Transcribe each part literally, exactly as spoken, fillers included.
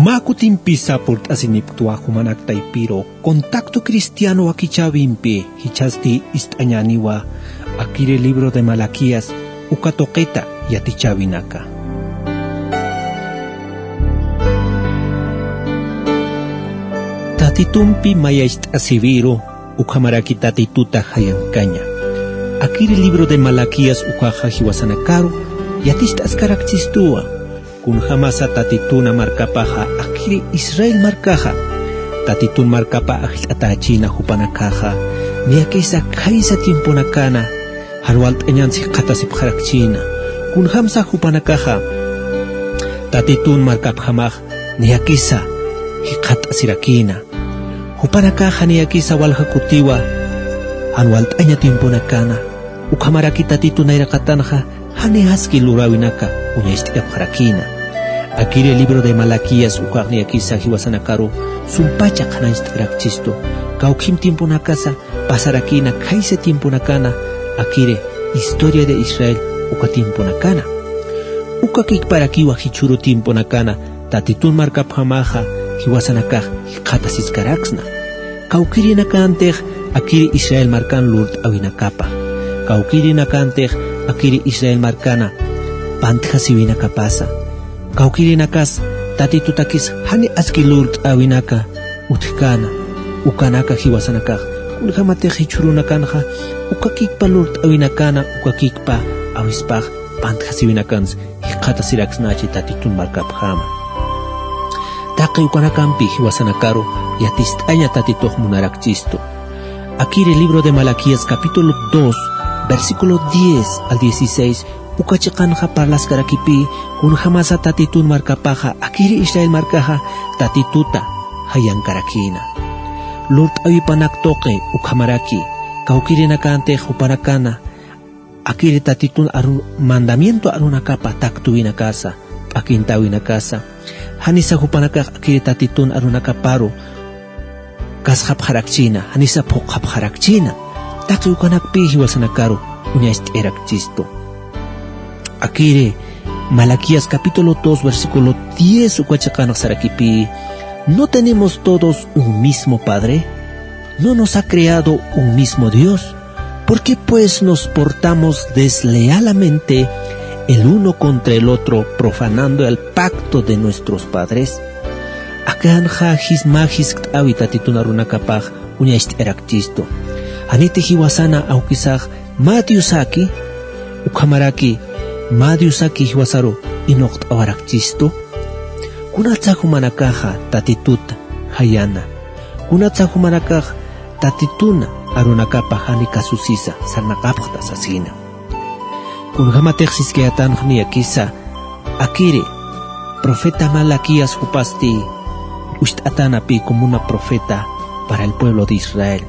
Mä kutimpisa purt'asinipktwa jumanak taypiru Contacto Cristiano wakichäwimpi, jichhasti ist'añäniwa akiri libro de Malaquías uka tuqita yatichäwinaka. Tatitumpi mayacht'asiwiru, ukhamaraki Tatituta jayankaña. Akiri libro de Malaquías ukaxa jiwasanakaru yaticht'askarakchistuwa. Kunjamasa Tatituna markapaxa akiri Israel markaxa Tatitun markapa ajllt'atächina jupanakaxa, niyakisa khaysa tiemponakana jan walt'añans jikxatasipxarakchina. Kunjamsa jupanakaxa Tatitun markapjamax niyakisa jikxatasirakina. Jupanakaxa niyakisa walja kutiwa jan walt'aña tiemponakana, ukhamaraki Tatitu nayraqatanxa jani aski luräwinaka uñacht'ayapxarakina. Akiri libro de Malaquías ukax niyakisa jiwasanakaru sumpacha qhanañcht'arakchistu. Kawkhim tiemponakasa pasarakina khaysa tiemponakana akiri historia de Israel uka tiemponakana. Uka kikparakiwa jichhüru tiemponakana Tatitun markapjamaxa jiwasanakax jikxatasiskaraksna. Kawkirinakantix akiri Israel markan lurt'äwinakapa. Kawkirinakantix akiri Israel markana pantjasiwinakapasa. Kawkirinakas Tatitutakis jani aski lurt'äwinaka utjkäna, ukanaka jiwasanakax. Kunjamatix jichhürunakanxa uka kikpa lurt'äwinakana, uka kikpa awispax pantjasiwinakans jikxatasiraksnachi Tatitun markapjama. Taqi ukanakampi jiwasanakaru yaticht'aña Tatitux munarakchistu. Akiri libro de Malaquías capítulo dos, versículo diez al dieciséis, uka chiqanxa parlaskarakipï, kunjamasa Tatitun markapaxa akiri Israel markaxa Tatituta jayankarakïna. Lurt'äwipanak tuqi ukhamaraki, kawkirinakantix jupanakana akiri Tatitun aru-, mandamiento arunakapa taktuwinakasa, p'akintäwinakasa, janisa jupanakax akiri Tatitun arunakaparu kasxapxarakchina, janisa phuqhapxarakchina. Taqi ukanakpï jiwasanakaru uñacht'ayarakchistu. Akiri Malaquías capítulo dos, versículo diez uka chiqanx sarakipï: ¿No tenemos todos un mismo Padre? ¿No nos ha creado un mismo Dios? ¿Por qué, pues, nos portamos deslealmente el uno contra el otro, profanando el pacto de nuestros padres? Akanxa jis-, mä jiskt'äwi Tatitun arunakapax uñacht'ayarakchistu. Janiti jiwasana awkisax mä Diosaki, ukhamaraki mä Diosaki jiwasaru inuqt'awarakchistu. Kunatsa jumanakaxa Tatituta jayana. Kunatsa jumanakax Tatituna arunakapa jani kasusisa sarnaqapxta sasina. Kunjamatix siskayätanx niyakisa akiri profeta Malaquías jupasti ucht'atanapï como una profeta para el pueblo de Israel.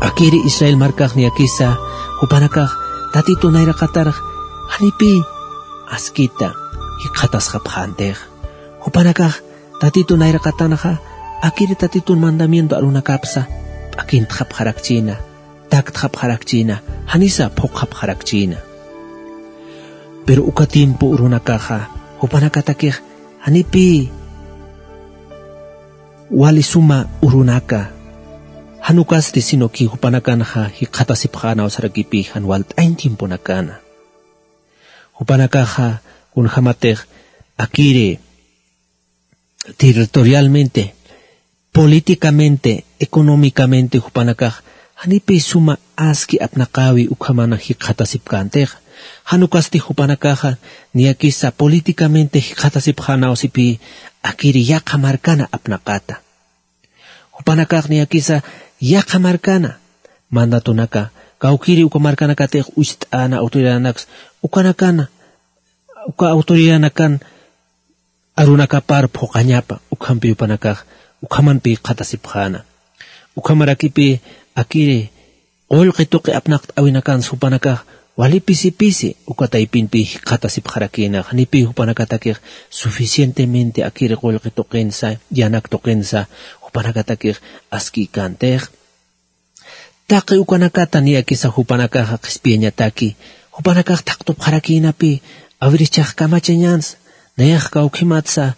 Akiri Israel markax niyakisa jupanakax Tatitu nayraqatarx janipï askita jikxatasxapxäntix. Jupanakax Tatitu nayraqatanxa akiri Tatitun mandamiento arunakapsa p'akintxapxarakchina, taktxapxarakchina, janisa phuqhapxarakchina. Pero uka tiempo urunakaxa jupanakatakix janipï wali suma urunaka, jan ukasti sino que jupanakanxa jikxatasipxänaw sarakipï jan walt'añ tiemponakana. Jupanakaxa kunjamatix akiri territorialmente, políticamente, económicamente jupanakax janipï suma aski apnaqäwi ukhamana jikxatasipkäntixa. Jan ukasti jupanakaxa niyakisa políticamente jikxatasipxänawsipï akiri yaqha markana apnaqata. Jupanakax niyakisa yaqha markana mandatonaka, kawkiri uka markanakatix ucht'äna autoridadnaks, ukanakana, uka autoridadnakan arunakapar phuqañapa, ukhampi jupanakax ukhamanpï jikxatasipxäna. Ukhamarakipï akiri qullqi tuqi apnaqt'äwinakans jupanakax wali pisi pisi uka taypinpï jikxatasipxarakïna, janipï jupanakatakix suficientemente akiri qullqi tuqinsa, yanak tuqinsa jupanakatakix askïkäntix. Taqi ukanakata niyakisa jupanakaxa qhispiyañataki, jupanakax thaqtupxarakïnapï, a ver, jichhax kamachañänsa, nayax kawkhimatsa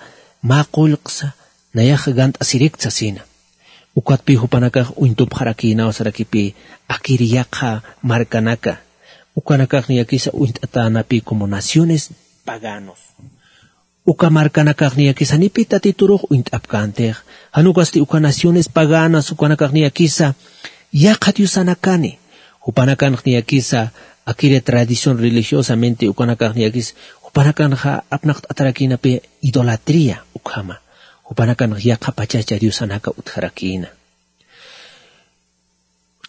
mä qullqsa nayax gant'asirikta sasina. Ukatpï jupanakax uñtupxarakïnaw sarakipï akir yaqha markanaka, ukanakax niyakisa uñt'atänapï como naciones paganos. Uka markanakax niyakisa janipï tatiturux uñt'apkäntix, jan ukasti uka naciones paganas ukanakax niyakisa yaqha diosanakani. Jupanakanx niyakisa akiri tradición religiosamente ukanakax niyakisa jupanakanxa apnaqt'atarakïnapï idolatría ukhama. Jupanakanx yaqha pachacha diosanaka utjarakïna.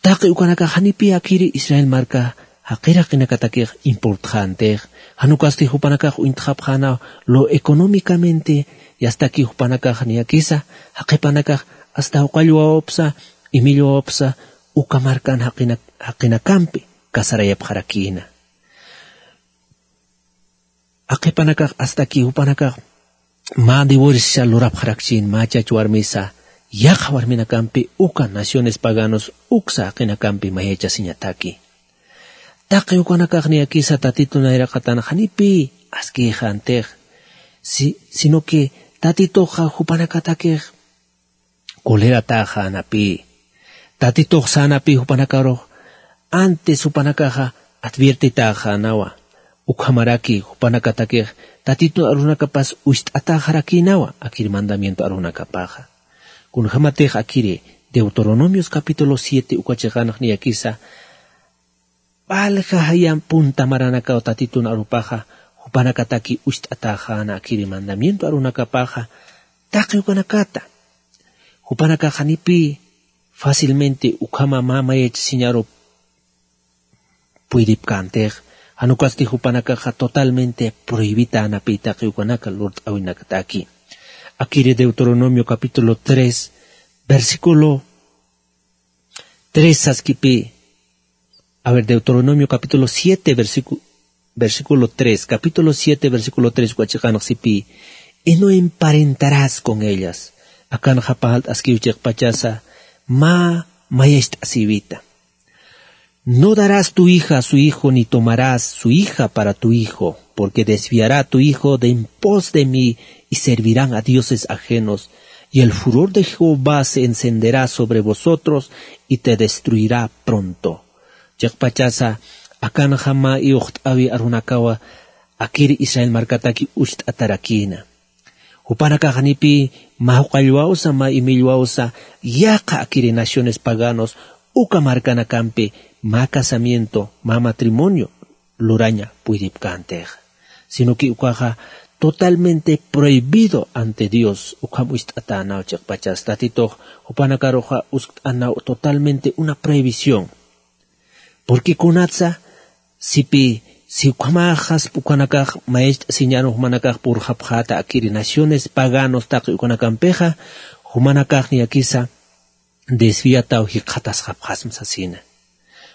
Taqi ukanakax janipï akiri Israel marka jaqir jaqinakatakix importxäntix, jan ukasti jupanakax uñtxapxäna lo económicamente, yastaki jupanakax niyakisa jaqipanakax asta juqallwawapsa imillwawapsa uka markan jaqina- jaqinakampi casarayapxarakïna. Aqipanakax astaki jupanakax mä divorcia lurapxarakchin mä chach warmisa yaqha warminakampi uka naciones paganos uksa jaqinakampi mayachasiñataki. Taqi ukanakax niyakisa tatitun nayraqatan janipï askïxäntix, si- sino que tatituxa jupanakatakix colerataxänapï. Tatitux sänapï jupanakarux antes jupanakaxa adviertitaxänawa. Ukhamaraki jupanakatakix tatitun arunakapas ucht'ataxarakïnawa akir mandamiento arunakapaxa. Kunjamatix akiri Deuteronomios capítulo siete uka chiqanx niyakisa p'alja jaya punta maranakaw tatitun arupaxa jupanakataki ucht'ataxäna akiri mandamiento arunakapaxa taqi ukanakata. Jupanakax janipï fácilmente ukhama mä mayachasiñaru puydipkäntix, jan ukasti jupanakaxa totalmente prohibitänapï taqi ukanaka lurt'äwinakataki. Akiri Deuteronomio capítulo tres, versículo tres saskipï. A ver, Deuteronomio capítulo siete, versícu- versículo tres, capítulo siete, versículo tres uka chiqanx sipï: "Y no emparentarás con ellas". Akanxa parlt'askiw chiqpachasa mä mayacht'asïwita. "No darás tu hija a su hijo, ni tomarás su hija para tu hijo, porque desviará a tu hijo de en pos de mí, y servirán a dioses ajenos, y el furor de Jehová se encenderá sobre vosotros, y te destruirá pronto". Chiqpachasa akanxa mä iwxt'äwi arunakawa akiri Israel markataki ucht'atarakïna. Jupanakax janipï mä juqallwawsa, mä imillwawsa, yaqha akiri naciones paganos uka markanakampi mä casamiento, mä matrimonio luraña puydipkäntix. Sino que ukaxa totalmente prohibido ante Dios, ukham ucht'atänaw chiqpachas. Tatitux jupanakaruxa uskt'anaw totalmente una prohibición. Porque kunatsa, sipï, si ukhamaxas ukanakax mayacht'asiñaru jumanakax purxapxäta akiri naciones paganos taqi ukanakampixa, jumanakax niyakisa desviataw jikxatasxapxasma sasina.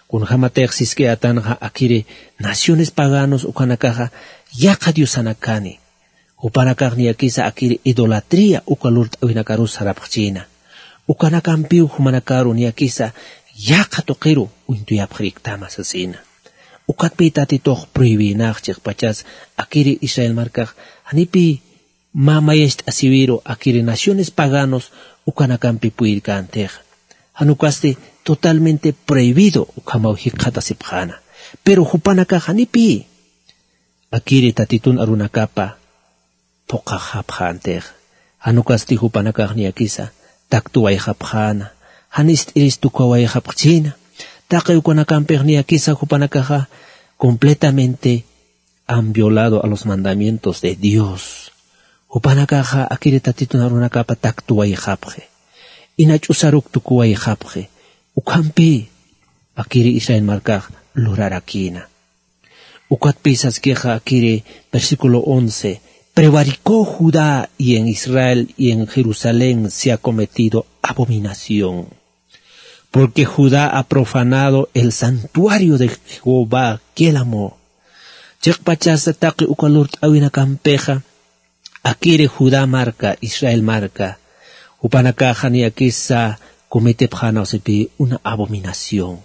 Kunjamatix sisk'ayatanxa akiri naciones paganos ukanakaxa yaqha diosanakani. Jupanakax niyakisa akiri idolatría uka lurt'äwinakarus sarapxchïna. Ukanakampiw jumanakaru niyakisa yaqha tuqiru uñtuyapxiriktama sasina. Ukatpï tatitux prohibïnax chiqpachas akiri Israel markax janipï mä mayacht'asïwiru akiri naciones paganos ukanakampi purirkäntix. Jan ukasti totalmente prohibido ukhamaw jikxatasipxäna. Pero jupanakax janipï akiri tatitun arunakapa phuqhaxapxäntix. Jan ukasti jupanakax niyakisa taktuwayxapxäna, jan ist'iris tukuwayxapxchïna. Taqi ukanakampix niyakisa jupanakaxa completamente han violado a los mandamientos de Dios. Jupanakaxa akiri tatitun arunakapa taktuwayxapxi, ina ch'usaruk tukuwayxapxi. Ukhampï akiri Israel markax lurarakïna. Ukatpï saskixa akiri versículo once: "Prevaricó Judá y en Israel y en Jerusalén se ha cometido abominación. Porque Judá ha profanado el santuario de Jehová que él amó". Chiqpachasa taqi uka lurt'äwinakampixa akiri Judá marka, Israel marka, jupanakaxa niyakisa cometepxänaw sipï una abominación.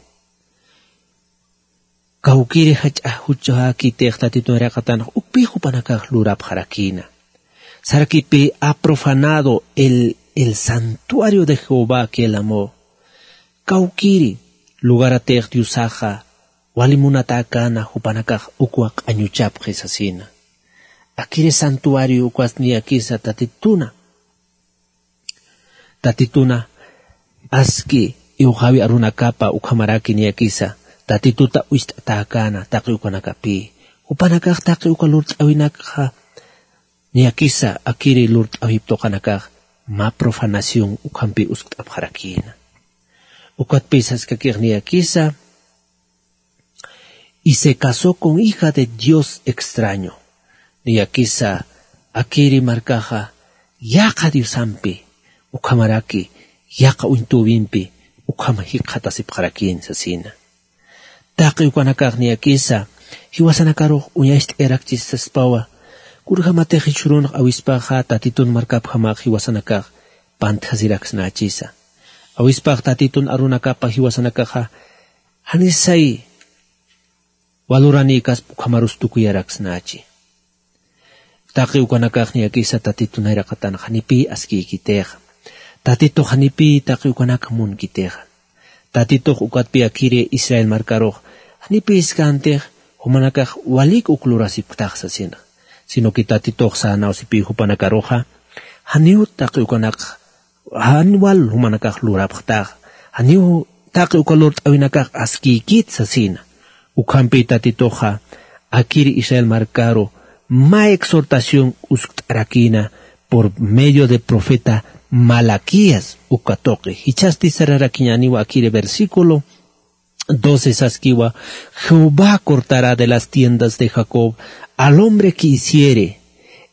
Kawkiri jach'a juchhäkitix tatitun nayraqatanx ukpï jupanakax lurapxarakïna. Sarakipï ha profanado el, el santuario de Jehová que él amó. Kawkïri lugaratix Diosaxa wali munatäkäna jupanakax ukwa q'añuchapxi sasina. Akiri santuario ukwasti niyakisa Tatituna. Tatituna aski iwxawi arunakapa ukhamaraki niyakisa Tatituta ucht'atäkäna taqi ukanakapï. Jupanakax taqi uka lurt'awinakxa niyakisa akiri lurt'awip tuqanakax mä profanación ukhampï uskt'apxarakïna. Ukatpï saskakix niyakisa, y se casó con hija de dios extraño. Niyakisa akiri markaxa yaqha diosampi ukhamaraki yaqha uñtüwimpi ukham jikxatasipxarakïn sasina. Taqi ukanakax niyakisa jiwasanakarux uñacht'ayarakchis saspawa, kunjämatix jichhürunx awispaxa Tatitun markapjamax jiwasanakax pantjasiraksnächisa. Awispax Tatitun arunakapa jiwasanakaxa janisay waluranïkasp ukhamarus tukuyaraksnächi. Taqi ukanakax niyakisa Tatitu nayraqatan janipï askïkitixa. Tatitux janipï taqi ukanak munkitixa. Tatitux ukatpï akiri Israel markarux janipï skäntix jumanakax walik uk lurasipktax sasinx. Sino que Tatitux sänawsipï jupanakaruxa janiw taqi ukanak jan wal jumanakax lurapxtax, janiw taqi uka lurt'awinakax askïkit sasina. Ukhampï Tatituxa akiri Israel markaru mä exhortación uskt'arakïna por medio de profeta Malaquías uka tuqi. Jichhasti sararakiñäniwa akiri versículo doce saskiwa: Jehová cortará de las tiendas de Jacob al hombre que hiciere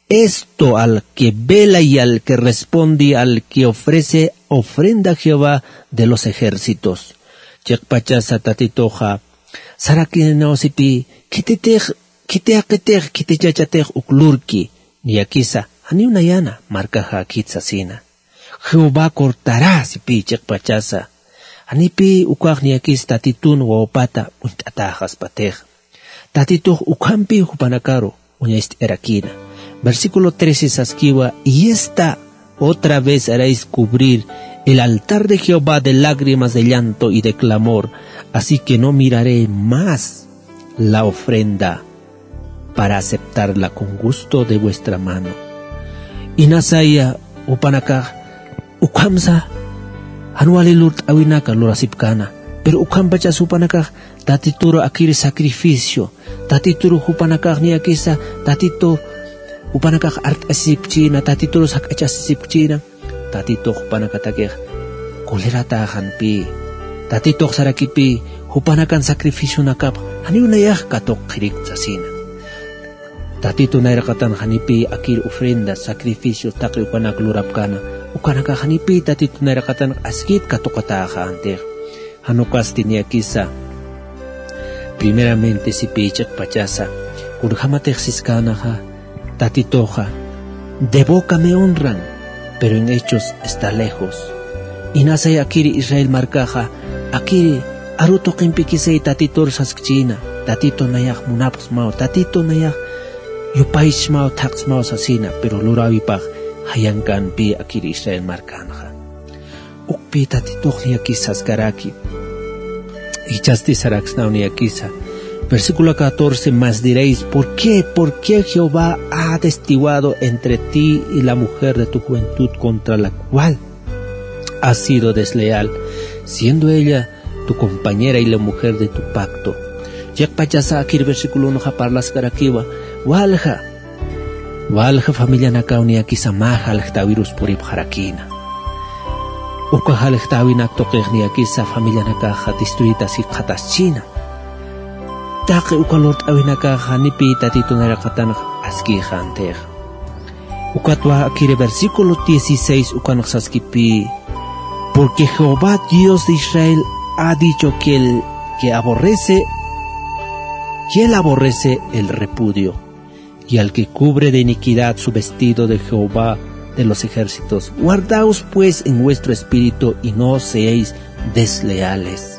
esto, al que vela y al que responde, al que ofrece ofrenda a Jehová de los ejércitos. Chiqpachasa Tatituxa sarakinawsipï, khititix, khiti jaqitix, khiti chachatix uk lurki, niyakisa janiw nayana markaxäkit sasina. Jehová cortarä sipï chiqpachasa. Janipï ukax niyakis Tatitun wawapata uñt'atäxaspatix. Tatitux ukhampï jupanakaru uñacht'ayarakïna. Versículo trece saskiwa: Y esta otra vez haréis cubrir el altar de Jehová de lágrimas, de llanto y de clamor, así que no miraré más la ofrenda para aceptarla con gusto de vuestra mano. Inasaya jupanakax ukhamsa jan wali lurt'awinaka lurasipkäna, pero ukhampachas jupanakax Tatituru akiri sacrificio, Tatituru jupanakax niyakisa Tatitu jupanakax art'asisipkchïna, Tatituru jak'achasisipkchïna. Tatitux jupanakatakix coleratäxanpï. Tatitux sarakipï jupanakan sacrificionakapx janiw nayax katuqxirikta sasina. Tatitu nayraqatan janipï akir ofrenda, sacrificio taqi ukanak lurapkäna, ukanakax janipï Tatitu nayraqatan askit katuqatäxäntix. Jan ukasti niyakisa primeramente sipï chiqpachasa, kunjämatix siskänaxa Tatituxa de boca me honran, pero en hechos está lejos. Inasay akiri Israel markaxa akiri aru tuqimpikisay Tatitur saskchïna, Tatitu nayax munapxsmaw, Tatitu nayax yupaychsmaw, thaqsmaw sasina, pero luräwipax jayankämpï akiri Israel markänxa. Ukpï Tatitux niyakis saskaraki. Jichhasti saraksnaw niyakisa. Versículo catorce: Mas diréis: ¿Por qué? ¿Por qué Jehová ha destituido entre ti y la mujer de tu juventud contra la cual has sido desleal, siendo ella tu compañera y la mujer de tu pacto? Chiqpachasa akir versículo unoxa parlaskarakiwa, walja, walja familianakaw niyakisa mä jaljtäwirus puripxarakïna. Uka jaljtäwinak tuqix niyakisa familianakaxa destruidas jikxataschïna. Taqi uka lurt'awinakaxa janipï Tatitu nayraqatanx askïxäntix. Ukatwa akiri versículo dieciséis ukanx saskipï: Porque Jehová Dios de Israel ha dicho que el que aborrece, que él aborrece el repudio, y al que cubre de iniquidad su vestido de Jehová de los ejércitos. Guardaos pues en vuestro espíritu y no seáis desleales.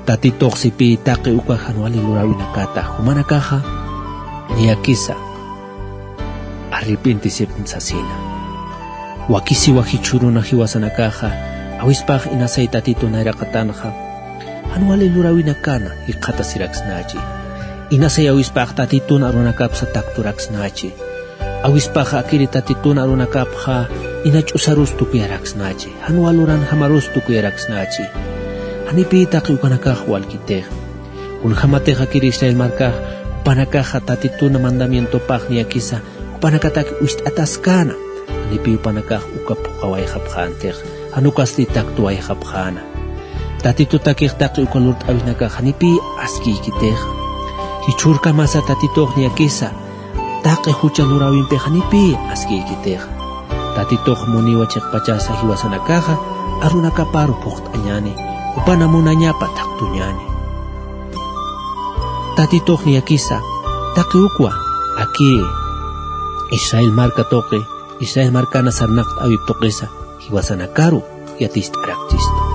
Tatitux sipï taqi uka jan wali luräwinakata jumanakaxa niyakisa arrepintisipxsma sasina. Wakisiwa jichhüruna jiwasanakaxa, awispax inasay Tatitun nayraqatanxa, jan wali luräwinakana jikxatasiraksnachi. Inasay awispax Tatitun arunakapsa takturaksnachi. Awispaxa akiri Tatitun arunakapxa ina ch'usarus tukuyaraksnachi. Jan wal luranjamarus tukuyaraksnachi. Janipï taqi ukanakax walkitix. Kunjämatix akiri Israel markax, jupanakaxa Tatitun mandamientopax niyakisa, jupanakatak wist'ataskäna. Janipï jupanakax uka phuqawayxapxänti, jan ukasti taktuwayxapxäna. Tatitutakix taqi uka lurt'äwinakax janipï askiykitix. Jichhürkamasa Tatitux niyakisa, taqi jucha luräwimpi janipï askiykitix. Tatitux muniwa chiqpachasa jiwasanakaxa, arunakaparu phuqt'añäni, jupana munañapa taktuñäni. Tatitux niyakisa, taqi ukwa, akiri Israel marka tuqi, Israel markana sarnaqt'äwip tuqisa, jiwasanakaru yaticht'arakchistu.